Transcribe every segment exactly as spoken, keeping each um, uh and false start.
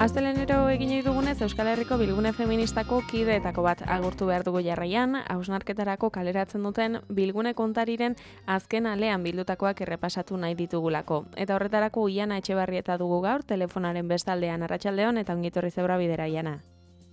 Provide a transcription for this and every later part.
Astelenero egin nahi dugunez Euskal Herriko bilgune feministako kideetako bat agurtu behar dugu jarraian, hausnarketarako kaleratzen duten bilgune kontariren azken alean bildutakoak errepasatu nahi ditugulako. Eta horretarako Iana Etxebarrieta dugu gaur, telefonaren bestaldean. Arratsaldeon eta ongitorri zeura bidera, Iana.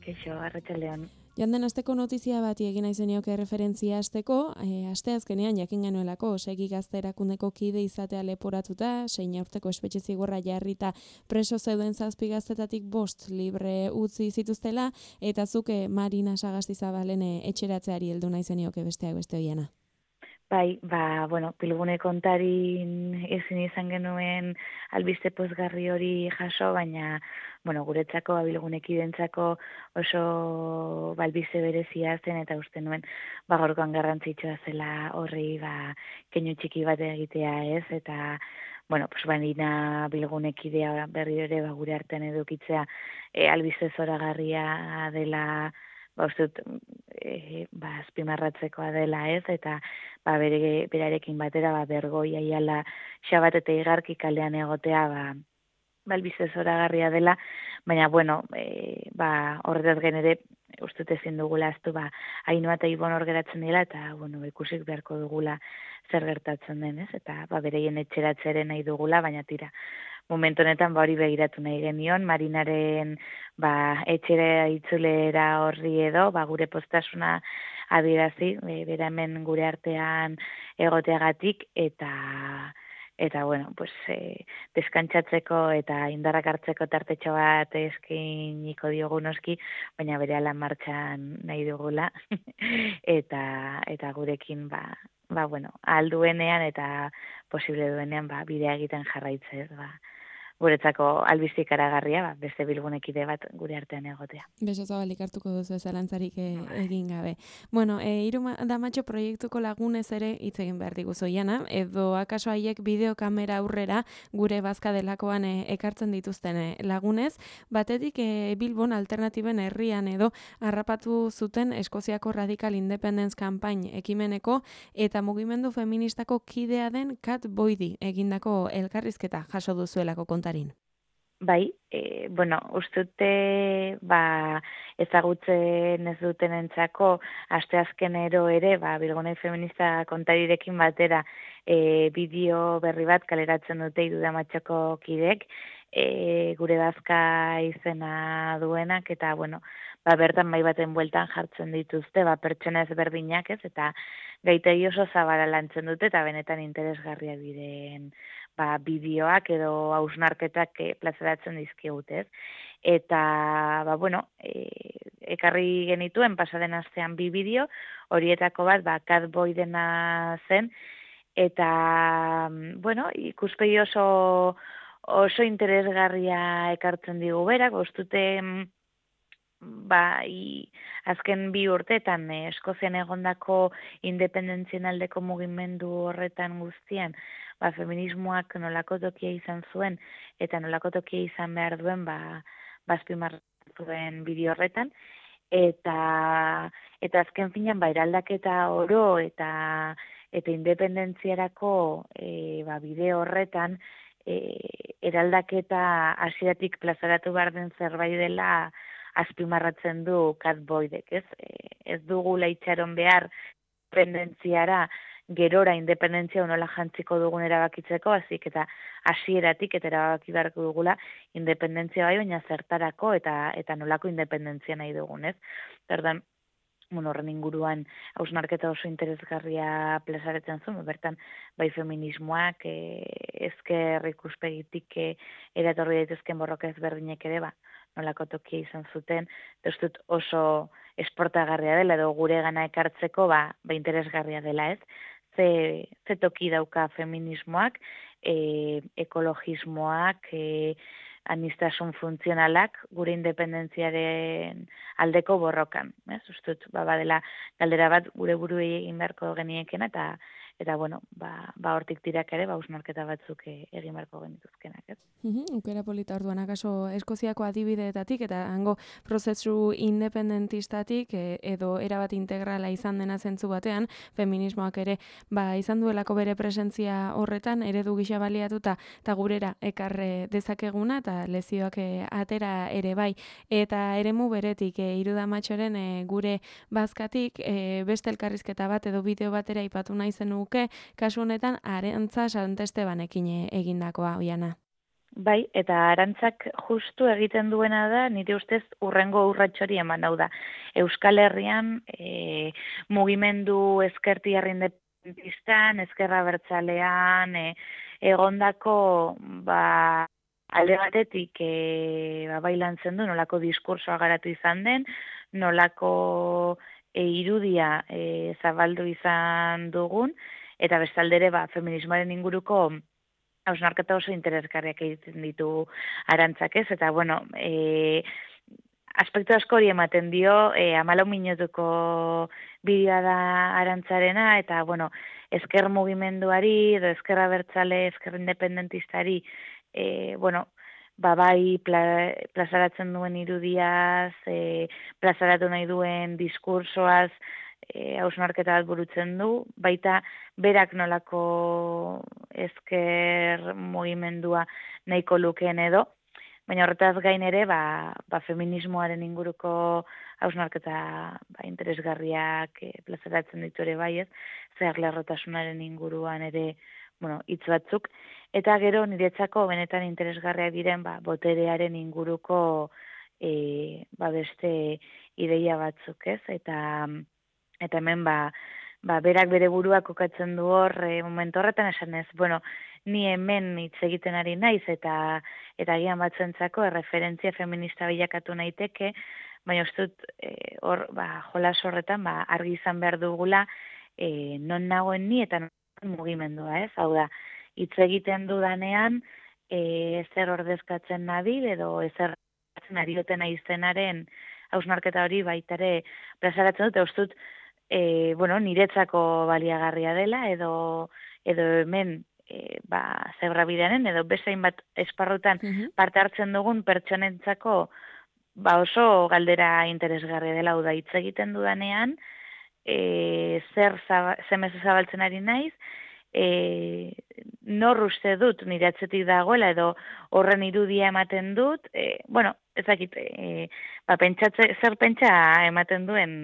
Keixo, arratsaldeon. Joan den asteko notizia bati egin nahi zenioke referentzia asteko, e, aste azkenean jakin genuelako Segi Gazte erakundeko kide izatea leporatuta, zein urteko espetxe zigorra jarrita preso zeuden zazpi gaztetatik bost libre utzi zituztela, eta zuke Marina Sagastizabalen etxeratzeari heldu nahi zenioke besteak beste Iana. Bai, ba, bueno, bilgune kontarin ezin izan genuen albiste pozgarri hori jaso, baina, bueno, guretzako, ba, bilgunekidentzako oso balbiste berezia zen, eta uste nuen, ba, gaurkoan garrantzitsua zela horri, ba, keinu txiki bat egitea ez, eta, bueno, pues, Marina bilgunekidea berri ere, ba, gure artean edukitzea, e, albiste zoragarria dela, ba, uste dut, e, ba, azpimarratzekoa dela ez, eta ba, bere, berarekin batera, ba, Bergoi Aiala Xabat eta Igarki kalean egotea, ba, balbiste zoragarria dela, baina, bueno, e, ba, horretaz genere, uste dut ezin dugula aztu, ba, Ainhoa eta Ibon hor geratzen dela, eta, bueno, ikusik beharko dugula zer gertatzen den, ez, eta, ba, bereien etxeratzeren nahi dugula, baina tira, momentu honetan ba hori begiratu nahi genion, Marinaren ba, etxera itzulera horri edo, ba, gure postasuna adierazi, e, bera hemen gure artean egoteagatik, eta eta bueno, pues, e, deskantzatzeko eta indarrak hartzeko tartetxo bat eskiniko diogu noski, baina berehala martxan nahi dugula, eta eta gurekin ba, ba bueno, ahal duenean eta posible duenean ba, bidea egiten jarraitzez, ba, guretzako albiste ikaragarria, ba, beste bilgunekide bat gure artean egotea. Beso zabalik hartuko duzu ezalantzarik e, egin gabe. Bueno, e, Hiru Damatxo proiektuko lagunez ere hitz egin behar diguzu, Iana, edo akaso haiek bideokamera aurrera gure bazka delakoan e, ekartzen dituzten e, lagunez, batetik e, Bilbon alternatiben herrian edo harrapatu zuten Eskoziako Radical Independence Campaign ekimeneko eta mugimendu feministako kidea den Kat Boydi egindako elkarrizketa jaso duzuelako konta. Bai, e, bueno, ustute ba, ezagutzen ez dutenentzako asteazkenero ere, ba, bilgune feminista kontarirekin batera e, bideo berri bat kaleratzen dute Hiru Damatxoko kidek, e, gure bazka izena duenak, eta, bueno, ba, bertan bai baten bueltan jartzen dituzte, ba, pertsona ezberdinak ez, eta gaitegi oso zabala lantzen dute, eta benetan interesgarriak diren ba, bideoak edo hausnarketak e, plazaratzen dizkigutez. Eta, ba, bueno, e, ekarri genituen pasaden astean bi bideo, horietako bat, ba, Kat Boydena zen, eta, bueno, ikuspegi oso, oso interesgarria ekartzen digu berak, ustute, ba, i, azken bi urteetan eh, Eskozian egondako independentzien aldeko mugimendu horretan guztian, ba, feminismoak nolako tokia izan zuen, eta nolako tokia izan behar duen, ba, bazpimarratu duen bideo horretan, eta, eta azken finan, ba, eraldaketa oro, eta, eta independentziarako e, ba, bideo horretan, e, eraldaketa hasieratik plazaratu behar den zerbait dela, azpimarratzen du Kat Boydek, ez? Ez dugula itxaron behar independentziara, gerora independentzia nola jantziko dugun erabakitzeko, hazik eta hasieratik eta erabaki beharko dugula independentzia bai, baina zertarako eta eta nolako independentzia nahi dugun, ez? Orduan, bueno, horren inguruan hausnarketa oso interesgarria plazaretzen zuen, bertan bai feminismoak, e, ezker ikuspegitik e, eratorri daitezken borroka ezberdinek ere, ba, nolako tokia izan zuten, dut oso esportagarria dela, edo gure gana ekartzeko, ba, ba interesgarria dela, ez? Ze, ze toki dauka feminismoak, e, ekologismoak, e, anistasun funtzionalak, gure independentziaren aldeko borrokan, ez? Ustut, ba, badela galdera bat gure buruei egin beharko geniekena, eta eta bueno, ba, ba hortik tirak ere, ba, hausnarketa batzuk e, egin beharko genituzkenak, ez? Uhum, Ukera polita orduan, akaso Eskoziako adibideetatik eta hango prozesu independentistatik e, edo erabat integrala izan dena zentzu batean, feminismoak ere ba, izan duelako bere presentzia horretan, eredu gisa baliatuta eta gurera ekarre dezakeguna eta lezioak e, atera ere bai. Eta eremu beretik, e, Iruda Matxoren e, gure bazkatik e, beste elkarrizketa bat edo bideo batera ipatu nahi zenuke, kasu honetan Arantza Santestebanekin e, egindakoa, Oiana. Bai, eta Arantzak justu egiten duena da, nire ustez urrengo urratxori eman hau da. Euskal Herrian e, mugimendu ezkertiar independentistan, ezkerra bertzalean, e, egondako ba, alde batetik e, ba, bailantzen du, nolako diskursoa garatu izan den, nolako e, irudia e, zabaldu izan dugun, eta bestaldere ba, feminismoaren inguruko hausnarketa oso interesgarriak egiten ditu Arantzak, ez? Eta, bueno, e, aspektu asko hori ematen dio, e, amalau minutuko bideoa da Arantzarena, eta, bueno, ezker mugimenduari, edo ezkerra bertzale, ezker independentistari, e, bueno, ba, bai pla, plazaratzen duen irudiaz, e, plazaratu nahi duen diskursoaz, hausnarketa bat burutzen du, baita berak nolako ezker mugimendua nahiko lukeen edo, baina horretaz gain ere, ba, ba feminismoaren inguruko hausnarketa ba, interesgarriak e, plazaratzen ditu ere bai ez, zeharlerrotasunaren inguruan ere, bueno, hitz batzuk, eta gero niretzako benetan interesgarriak diren ba, boterearen inguruko e, ba, beste ideia batzuk ez, eta Eta hemen, ba, ba, berak bere burua kokatzen du hor, e, momentu horretan esan ez, bueno, ni hemen hitz egiten ari naiz, eta eta gian batzuentzako erreferentzia feminista bilakatu naiteke, baina ustut hor, e, ba, jolas horretan, ba, argi izan behar dugula, e, non nagoen ni eta non mugimendua, ez? Hau da, hitz egiten dudanean, e, zer ordezkatzen nabil, edo ezer ari duten aizenaren hausnarketa hori baitare plazaratzen dut, ustut, E, bueno, niretzako baliagarria dela, edo, edo hemen e, ba, zebrabidearen, edo bezain bat esparrutan parte hartzen dugun pertsonentzako ba, oso galdera interesgarria dela, hau da hitz egiten dudanean, e, zer zaba, zemez zabaltzen ari naiz, e, nor uste dut nire atzetik dagoela, edo horren irudia ematen dut, e, bueno, ezakit, e, ba, pentsatze, zer pentsa ematen duen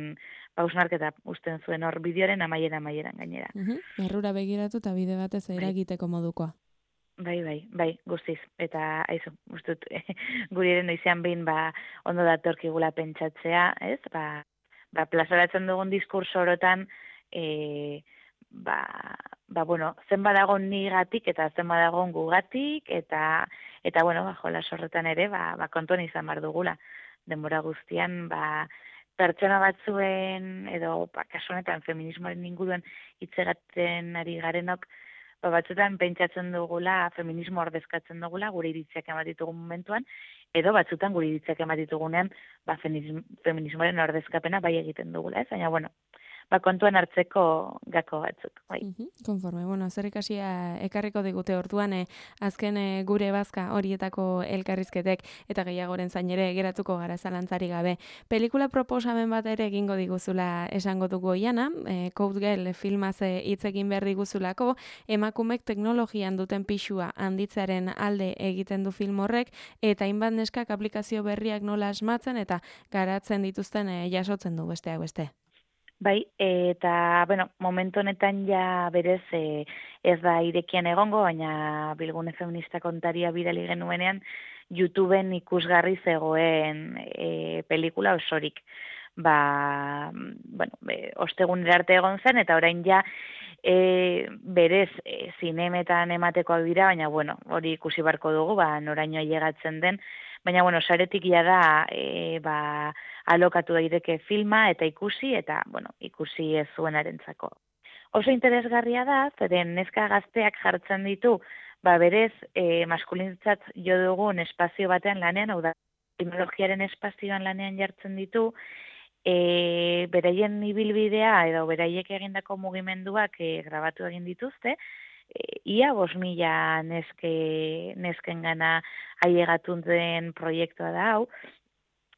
hausnarketa usten zuen hor bideoaren amaiera amaieran gainera. Uhum, errura begiratu eta bide batez eragiteko modukoa. Bai, bai, bai, guztiz. Eta, aizu, ustut, guri eren izan behin, ba, ondo datorkigula pentsatzea, ez? Ba, ba plazaratzen dugun diskurso orotan, e, ba, ba, bueno, zen badagon nigatik eta zen badagon gugatik, eta, eta bueno, ba, jolas horretan ere, ba, ba, kontuan izan bar dugula. Denbora guztian, ba, pertsona batzuen, edo, ba, kasu honetan, feminismoaren inguruan hitzegatzen ari garenok, ba, batzutan pentsatzen dugula, feminismo ordezkatzen dugula, gure iritziak ematitugun momentuan, edo batzutan gure iritziak ematitugunean, ba, feminismoaren ordezkapena bai egiten dugula, ez? Baina, bueno, ba, kontuan hartzeko gako batzuk. Bai. Uh-huh. Konforme, bueno, zer ikasia ekarriko digute orduan, eh, azken eh, gure bazka horietako elkarrizketek eta gehiagoren zain ere geratuko gara zalantzari gabe. Pelikula proposamen bat ere egingo diguzula esango dugu Oiana, eh, Code Girl filmaz hitz egin behar diguzulako, emakumek teknologian duten pixua handitzearen alde egiten du film horrek, eta hainbat neskak aplikazio berriak nola asmatzen eta garatzen dituzten eh, jasotzen du besteak beste. Bai, eta, bueno, momentu honetan ja berez e, ez da irekian egongo, baina Bilgune Feminista kontaria bidali genuenean YouTubeen ikusgarri zegoen e, pelikula osorik. Ba, bueno, e, ostegunera arte egon zen, eta orain ja e, berez e, zinemetan ematekoak dira, baina, bueno, hori ikusi barko dugu, ba, noraino ailegatzen den, baina, bueno, saretik ja da, e, ba, alokatu daiteke filma eta ikusi, eta, bueno, ikusi ez zuenarentzako. Oso interesgarria da, zeren neska gazteak jartzen ditu, ba, berez, e, maskulintzat jo dugun espazio batean lanean, hau da, teknologiaren espazioan lanean jartzen ditu, e, beraien ibilbidea edo beraiek egindako mugimenduak e, grabatu egin dituzte, e, ia bos mila neske, nesken gana ailegatun den proiektua da hau,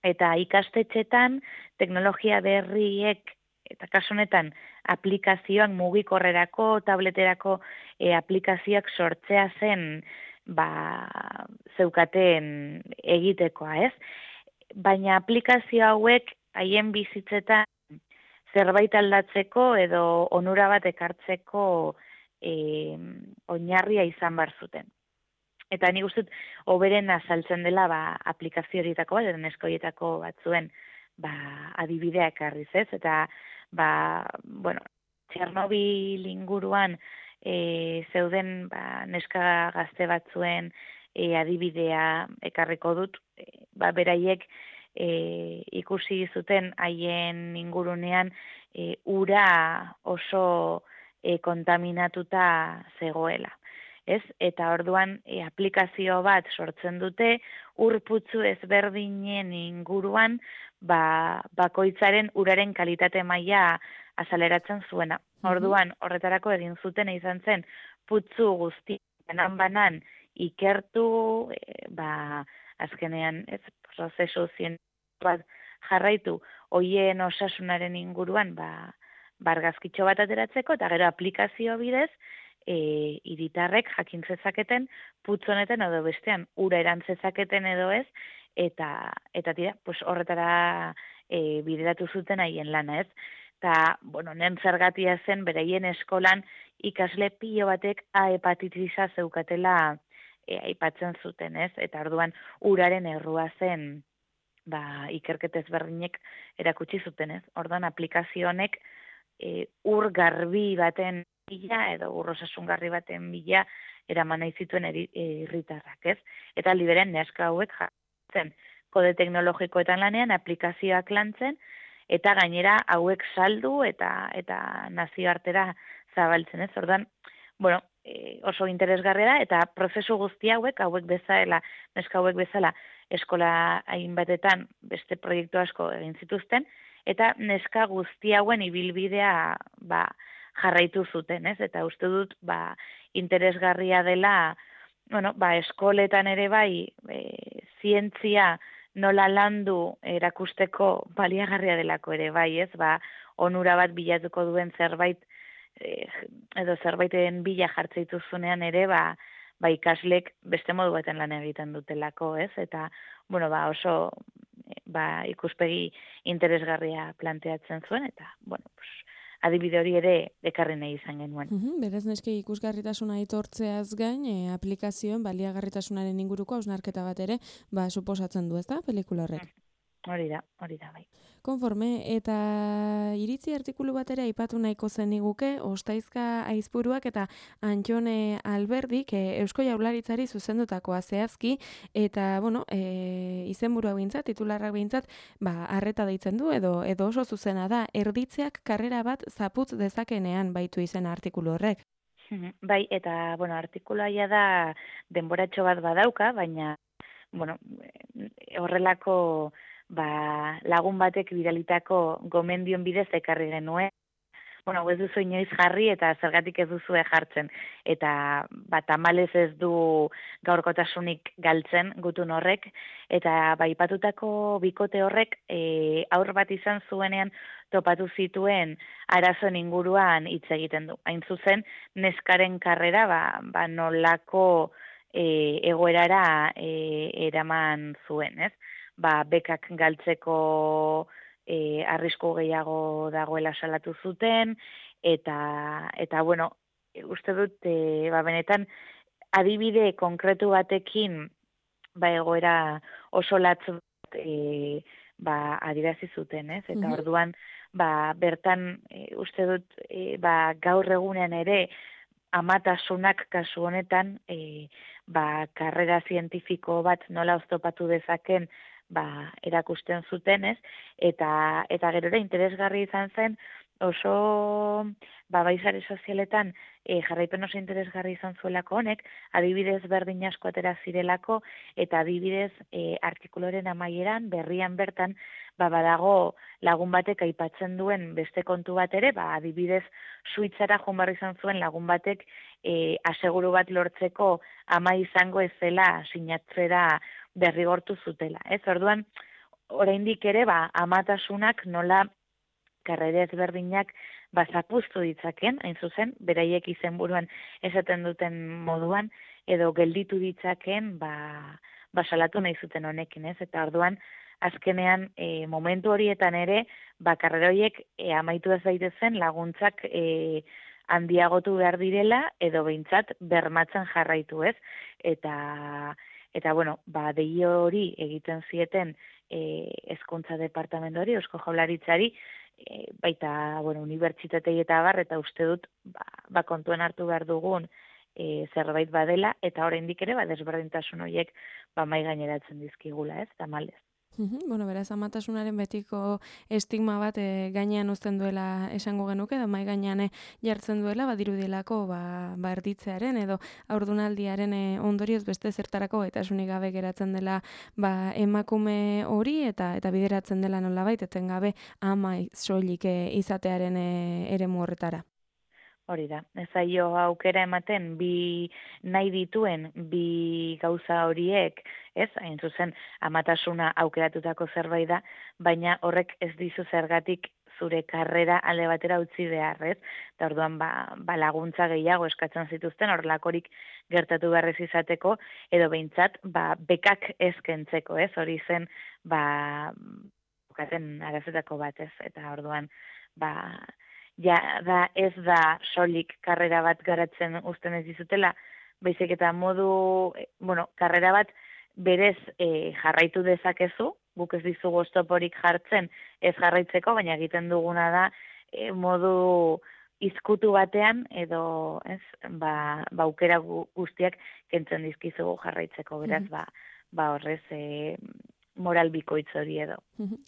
eta ikastetxetan teknologia berriek, eta kasu honetan aplikazioak mugikorrerako, tableterako e, aplikazioak sortzea zen ba, zeukaten egitekoa, ez? Baina aplikazio hauek haien bizitzetan zerbait aldatzeko edo onura bat ekartzeko e, oinarria izan bar zuten. Eta nik uste dut, hoberen azaltzen dela ba, aplikazio horietako bat, edo neskoietako batzuen ba, adibidea ekarriz ez, eta ba, bueno, Txernobil inguruan e, zeuden ba, neska gazte batzuen e, adibidea ekarriko dut, e, ba, beraiek e, ikusi zuten haien ingurunean e, ura oso e, kontaminatuta zegoela. Ez? Eta orduan e, aplikazio bat sortzen dute, urputzu ezberdinen inguruan ba, bakoitzaren uraren kalitate maila azaleratzen zuena. Orduan, horretarako egin zuten izan zen, putzu guzti banan-banan ikertu, e, ba, azkenean, ez, prozesu zientifiko bat jarraitu, hoien osasunaren inguruan, ba, bargazkitxo bat ateratzeko, eta gero aplikazio bidez, e, iritarrek jakin zezaketen, putzu honetan edo bestean, ura erantzezaketen edo ez, eta, eta tira, pues horretara e, bideratu zuten haien lana, ez? Eta, bueno, nen zergatia zen, beraien eskolan ikasle pilo batek A hepatitisa zeukatela e, aipatzen zuten, ez? Eta orduan uraren errua zen, ba, ikerketez berdinek erakutsi zuten, ez? Orduan aplikazio honek e, ur garbi baten bila, edo ur osasungarri baten bila, eraman nahi zituen herritarrak, ez? Eta liberen neska hauek jartzen kode teknologikoetan lanean, aplikazioak lantzen, eta gainera hauek saldu eta eta nazioartera zabaltzen, ez? Ordan, bueno, e, oso interesgarria da eta prozesu guzti hauek, hauek bezala, neska hauek bezala, eskola hainbatetan beste proiektu asko egin zituzten eta neska guzti hauen ibilbidea ba, jarraitu zuten, ez? Eta uste dut ba, interesgarria dela, bueno, ba, eskoletan ere bai, e, zientzia nola landu erakusteko baliagarria delako ere bai, ez? Ba, onura bat bilatuko duen zerbait eh, edo zerbaiten bila jartzen dituzunean ere, ba, ba ikaslek beste modu baten lan egiten dutelako, ez? Eta, bueno, ba, oso ba, ikuspegi interesgarria planteatzen zuen, eta, bueno, pues, adibide hori ere ekarri nahi izan genuen. Uhum, berez neske ikusgarritasuna aitortzeaz gain, e, aplikazioen baliagarritasunaren inguruko hausnarketa bat ere, ba, suposatzen du, ezta, pelikula horrek? Hori da, hori da, bai. Konforme, eta iritzi artikulu bat ere aipatu nahiko zeniguke, Ostaizka Aizpuruak eta Antxone Alberdik e, Eusko Jaurlaritzari zuzendutakoa zehazki, eta, bueno, e, izenburua behintzat, titularrak behintzat, ba, arreta deitzen du, edo edo oso zuzena da, erditzeak karrera bat zaputz dezakenean baitu izena artikulu horrek. Bai, eta, bueno, artikulaia da denboratxo bat badauka, baina, bueno, horrelako ba, lagun batek bidalitako gomendion bidez ekarri genuen. Bueno, ez duzu inoiz jarri eta zergatik ez duzu jartzen. Eta ba, tamalez ez du gaurkotasunik galtzen gutun horrek. Eta ba, ipatutako bikote horrek e, aur bat izan zuenean topatu zituen arazoen inguruan hitz egiten du. Hain zuzen, neskaren karrera ba, ba nolako e, egoerara e, eraman zuen, ez? Ba, bekak galtzeko e, arrisku gehiago dagoela salatu zuten, eta, eta bueno, uste dut, e, ba, benetan, adibide konkretu batekin, ba, egoera oso latz bat, e, ba, adirazi zuten, ez? Eta Mhm. orduan, ba, bertan, e, uste dut, e, ba, gaur egunean ere, amatasunak kasu honetan, e, ba, karrera zientifiko bat nola oztopatu dezaken, ba, erakusten zuten, ez? Eta, eta gerora interesgarri izan zen, oso ba, bai sare sozialetan e, jarraipen oso interesgarri izan zuelako honek, adibidez berdin asko atera zirelako, eta adibidez e, artikuluaren amaieran, berrian bertan, ba, badago lagun batek aipatzen duen beste kontu bat ere, ba, adibidez Suitzara joan behar izan zuen lagun batek e, aseguru bat lortzeko ama izango ez zela sinatzera derrigortu zutela. Ez, orduan, oraindik ere, ba, amatasunak nola karrera ezberdinak ba, zapuztu ditzaken, hain zuzen, beraiek izenburuan esaten duten moduan, edo gelditu ditzaken, ba, ba salatu nahi zuten honekin, ez? Eta orduan, azkenean, e, momentu horietan ere, ba, karrera horiek e, amaitu ez daitezen laguntzak e, handiagotu behar direla, edo behintzat bermatzen jarraitu, ez? Eta, eta bueno, ba, dehi hori egiten zieten e, hezkuntza departamentuari, Eusko Jaurlaritzari, E, baita, bueno, unibertsitatei eta bar, eta uste dut, ba, ba kontuen hartu behar dugun e, zerbait badela, eta oraindik ere, ba, desberdintasun horiek, ba, mai gaineratzen dizkigula, ez, tamalez. Bueno, beraz, amatasunaren betiko estigma bat e, gainean uzten duela esango genuke, edo mai gainean jartzen duela, badirudielako ba, ba erditzearen edo haurdunaldiaren e, ondorioz beste zertarako gaitasunik gabe geratzen dela ba, emakume hori eta eta bideratzen dela nolabait etengabe ama soilik e, izatearen e, eremu horretara. Hori da, ez zaio aukera ematen bi nahi dituen bi gauza horiek, ez, hain zuzen amatasuna aukeratutako zerbait da, baina horrek ez dizu zergatik zure karrera alde batera utzi behar, ez? Eta orduan ba, ba laguntza gehiago eskatzen zituzten horrelakorik gertatu beharrez izateko, edo behintzat ba, bekak ezkentzeko, ez? Hori zen ba, bukaten arazetako bat, ez? Eta orduan ba, ja, da, ez da solik karrera bat garatzen uzten ez dizutela, baizik eta modu, bueno, karrera bat berez e, jarraitu dezakezu, guk ez dizugu oztoporik jartzen ez jarraitzeko, baina egiten duguna da e, modu izkutu batean edo ez, ba, ba aukera guztiak kentzen dizkizugu jarraitzeko, beraz, ba, ba horrez e, moral bikoitz hori edo.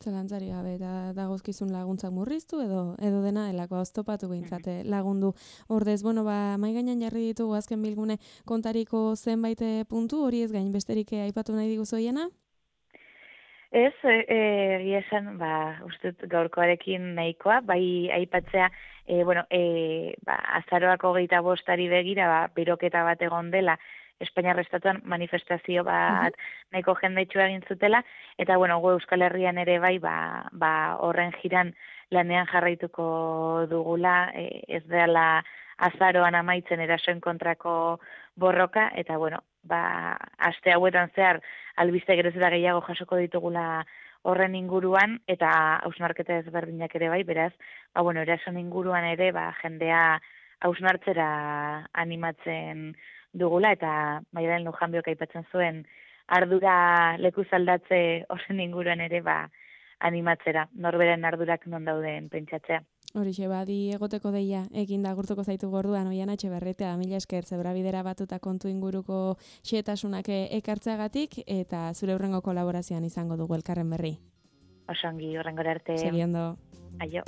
Zalantzari gabe, da, dagozkizun laguntzak murriztu edo edo dena delako oztopatu behintzate lagundu. Ordez, bueno, ba, mai gainean jarri ditugu azken bilgune kontariko zenbait puntu, hori ez gain besterik aipatu nahi diguzu hiena? Ez, egia esan, ba, uste gaurkoarekin nahikoa, bai aipatzea, e, bueno, e, ba, azaroako hogeita bostari begira, ba, beroketa bat egon dela, Espainiar Estatuan manifestazio bat nahiko jendetxua egin zutela, eta bueno, gu Euskal Herrian ere bai, ba, ba horren jiran lanean jarraituko dugula, e, ez dela azaroan amaitzen erasoen kontrako borroka, eta bueno, ba, aste hauetan zehar albiste geroz eta gehiago jasoko ditugula horren inguruan, eta hausnarketa ezberdinak ere bai, beraz, ba, bueno, erasoen inguruan ere, ba, jendea hausnartzera animatzen dugula, eta Maialen Lujanbiok aipatzen zuen ardura lekuz aldatze horren inguruan ere ba animatzera, norberen ardurak non dauden pentsatzea. Horixe, badi egoteko deia, egin da gurtuko zaitu gorduan, Oiana Etxeberretea, mila esker, zebrabidera batuta kontu inguruko xehetasunak ekartzeagatik, eta zure hurrengo kolaborazioan izango dugu elkarren berri. Osongi, horrengora arte. Segiondo. Aio.